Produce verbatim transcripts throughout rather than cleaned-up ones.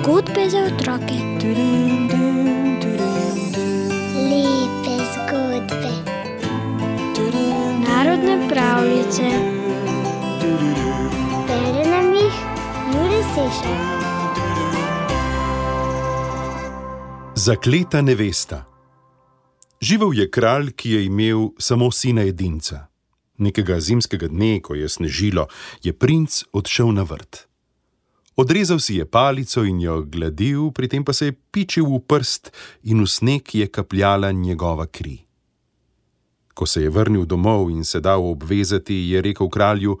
Zgodbe za otroke. Lepe zgodbe. Narodne pravljice. Bere nam jih Jure Sešar. Zakleta nevesta. Živel je kralj, ki je imel samo sina edinca. Nekega zimskega dne, ko je snežilo, je princ odšel na vrt. Odrezal si je palico in jo gladil, pri tem pa se je pičil v prst in v sneg je kapljala njegova kri. Ko se je vrnil domov in se dal obvezati, je rekel kralju: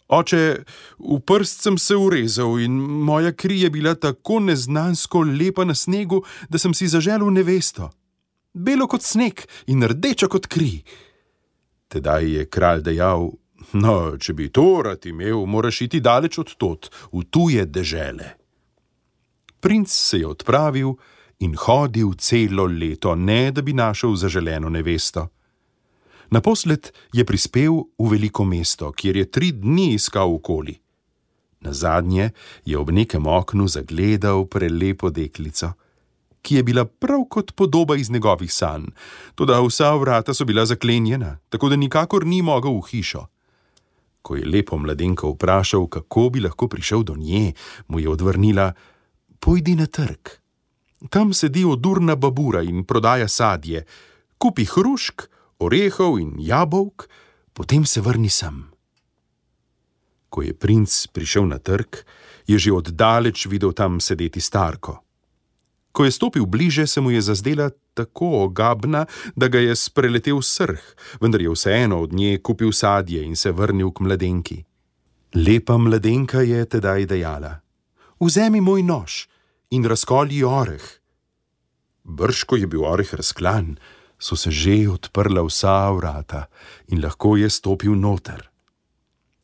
Oče, v prst sem se urezal in moja kri je bila tako neznansko lepa na snegu, da sem si zaželel nevesto. Belo kot sneg in rdeča kot kri. Tedaj je kralj dejal: No, če bi to rad imel, moraš iti daleč od tod, v tuje dežele. Princ se je odpravil in hodil celo leto, ne da bi našel zaželeno nevesto. Naposled je prispel v veliko mesto, kjer je tri dni iskal okoli. Nazadnje je ob nekem oknu zagledal prelepo deklico, ki je bila prav kot podoba iz njegovih sanj, toda vsa vrata so bila zaklenjena, tako da nikakor ni mogel v hišo. Ko je lepo mladenko vprašal, kako bi lahko prišel do nje, mu je odvrnila: Pojdi na trg. Tam sedi odurna babura in prodaja sadje. Kupi hrušk, orehov in jabolk, potem se vrni sem. Ko je princ prišel na trg, je že oddaleč videl tam sedeti starko. Ko je stopil bliže, se mu je zazdela tako ogabna, da ga je spreletel srh, vendar je vseeno od nje kupil sadje in se vrnil k mladenki. Lepa mladenka je tedaj dejala: Vzemi moj nož in razkolji oreh. Brž, ko je bil oreh razklan, so se že odprla vsa vrata in lahko je stopil noter.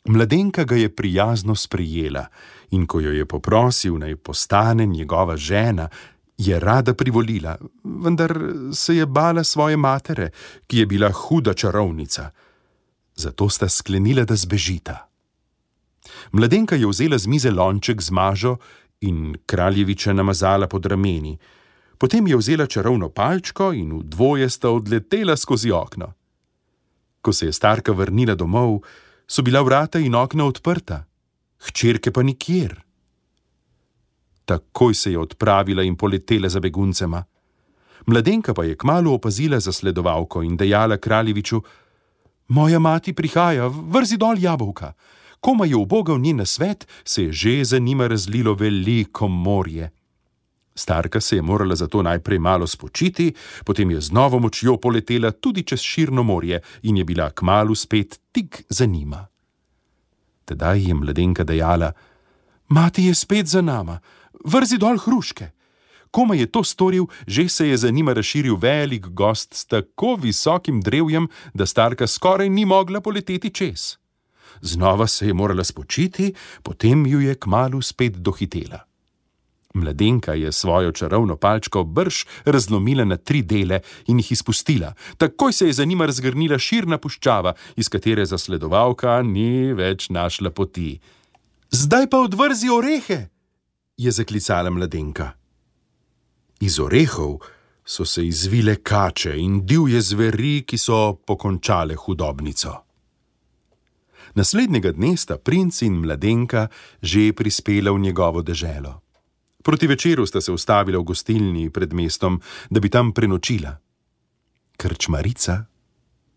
Mladenka ga je prijazno sprejela in ko jo je poprosil, naj postane njegova žena, je rada privolila, vendar se je bala svoje matere, ki je bila huda čarovnica. Zato sta sklenila, da zbežita. Mladenka je vzela z mize lonček z mažo in kraljeviča namazala pod rameni. Potem je vzela čarovno palčko in v dvoje sta odletela skozi okno. Ko se je starka vrnila domov, so bila vrata in okna odprta, hčerke pa nikjer. Takoj se je odpravila in poletela za beguncema. Mladenka pa je kmalu opazila zasledovalko in dejala kraljeviču: Moja mati prihaja, vrzi dol jabolka. Koma je ubogal njen nasvet, se je že za njima razlilo veliko morje. Starka se je morala zato najprej malo spočiti, potem je z novo močjo poletela tudi čez širno morje in je bila kmalu spet tik za njima. Tedaj je mladenka dejala: Mati je spet za nama, vrzi dol hruške. Koma je to storil, že se je za njima razširil velik gozd s tako visokim drevjem, da starka skoraj ni mogla poleteti čez. Znova se je morala spočiti, potem ju je kmalu spet dohitela. Mladenka je svojo čarovno palčko brž razlomila na tri dele in jih izpustila. Takoj se je za njima razgrnila širna puščava, iz katere zasledovalka ni več našla poti. Zdaj pa odvrzi orehe, je zaklicala mladenka. Iz orehov so se izvile kače in divje zveri, ki so pokončale hudobnico. Naslednjega dne sta princ in mladenka že prispela v njegovo deželo. Proti večeru sta se ustavila v gostilni pred mestom, da bi tam prenočila. Krčmarica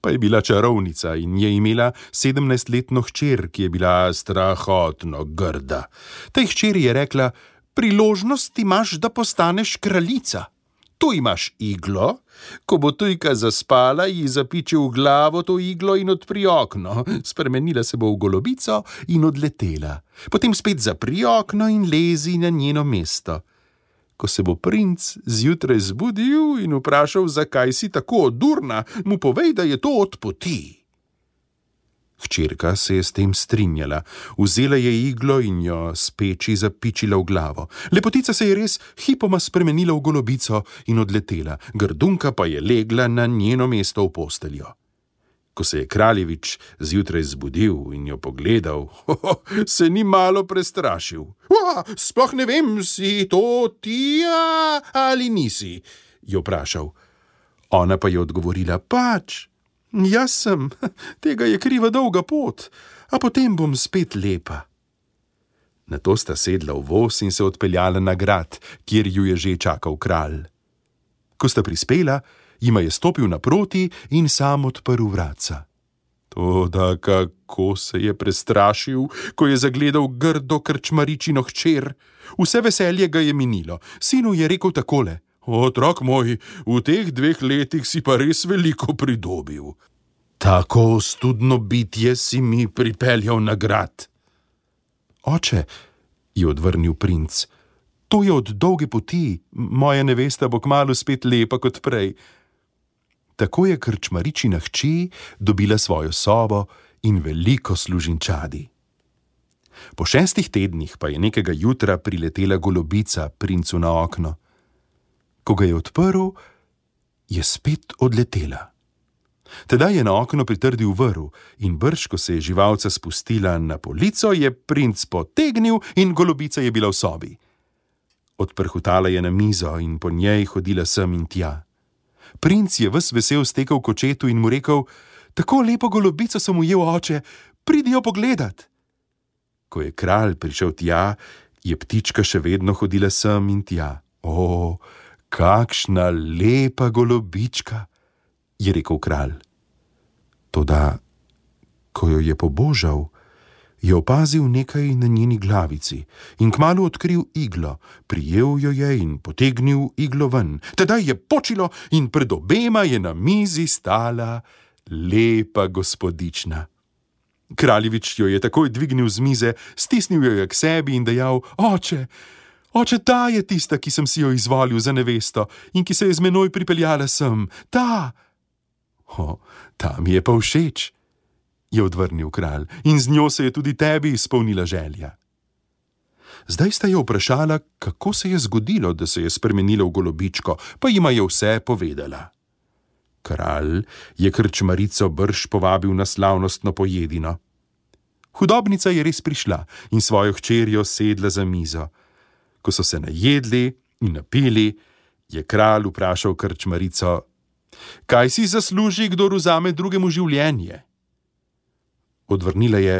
pa je bila čarovnica in je imela sedemnajstletno hčer, ki je bila strahotno grda. Tej hčeri je rekla: Priložnost imaš, da postaneš kraljica. Tu imaš iglo, ko bo tujka zaspala, ji zapiči v glavo to iglo in odpri okno. Spremenila se bo v golobico in odletela. Potem spet zapri okno in lezi na njeno mesto. Ko se bo princ zjutraj zbudil in vprašal, zakaj si tako odurna, mu povej, da je to od poti. Hčerka se je s tem strinjala, vzela je iglo in jo s peči zapičila v glavo. Lepotica se je res hipoma spremenila v golobico in odletela, grdunka pa je legla na njeno mesto v posteljo. Ko se je kraljevič zjutraj zbudil in jo pogledal, ho, se ni malo prestrašil. Sploh ne vem, si to ti ali nisi, je vprašal. Ona pa je odgovorila, pač, jaz sem, tega je kriva dolga pot, a potem bom spet lepa. Nato sta sedla v voz in se odpeljala na grad, kjer ju je že čakal kralj. Ko sta prispela, jima je stopil naproti in sam odprl vratca. Toda kako se je prestrašil, ko je zagledal grdo krčmaričino hčer. Vse veselje ga je minilo. Sinu je rekel takole: Otrok moj, v teh dveh letih si pa res veliko pridobil. Tako studno bitje si mi pripeljal na grad. Oče, je odvrnil princ, to je od dolge poti, moja nevesta bo kmalu spet lepa kot prej. Tako je krčmaričina hči dobila svojo sobo in veliko služinčadi. Po šestih tednih pa je nekega jutra priletela golobica princu na okno. Ko ga je odprl, je spet odletela. Tedaj je na okno pritrdil vrv in brž, ko se je živalca spustila na polico, je princ potegnil in golobica je bila v sobi. Odprhutala je na mizo in po njej hodila sem in tja. Princ je ves vesel stekel k očetu in mu rekel: Tako lepo golobico sem ujel, oče, pridi jo pogledat. Ko je kralj prišel tja, je ptička še vedno hodila sem in tja. O, kakšna lepa golobička, je rekel kralj. Toda, ko jo je pobožal, je opazil nekaj na njeni glavici in kmalu odkril iglo, prijel jo je in potegnil iglo ven. Tedaj je počilo in pred obema je na mizi stala lepa gospodična. Kraljevič jo je takoj dvignil z mize, stisnil jo je k sebi in dejal: Oče, oče, ta je tista, ki sem si jo izvolil za nevesto in ki se je z menoj pripeljala sem. Ta! O, ta mi je pa všeč, je odvrnil kralj, in z njo se je tudi tebi izpolnila želja. Zdaj sta jo vprašala, kako se je zgodilo, da se je spremenila v golobičko, pa jima je vse povedala. Kralj je krčmarico brž povabil na slavnostno pojedino. Hudobnica je res prišla in svojo hčerjo sedla za mizo. Ko so se najedli in napili, je kralj vprašal krčmarico: Kaj si zasluži, kdor vzame drugemu življenje? Odvrnila je: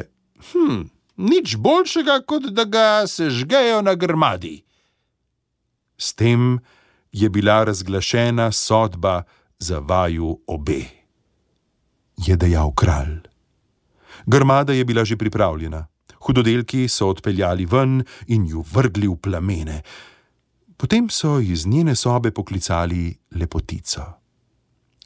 Hm, nič boljšega, kot da ga sežgejo na grmadi. S tem je bila razglašena sodba za vaju obe, je dejal kralj. Grmada je bila že pripravljena. Hudodelki so odpeljali ven in ju vrgli v plamene. Potem so iz njene sobe poklicali lepotico.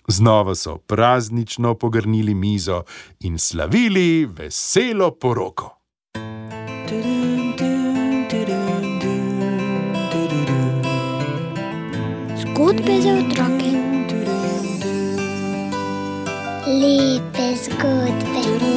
Znova so praznično pogrnili mizo in slavili veselo poroko. Zgodbe za otroke. Lepe zgodbe.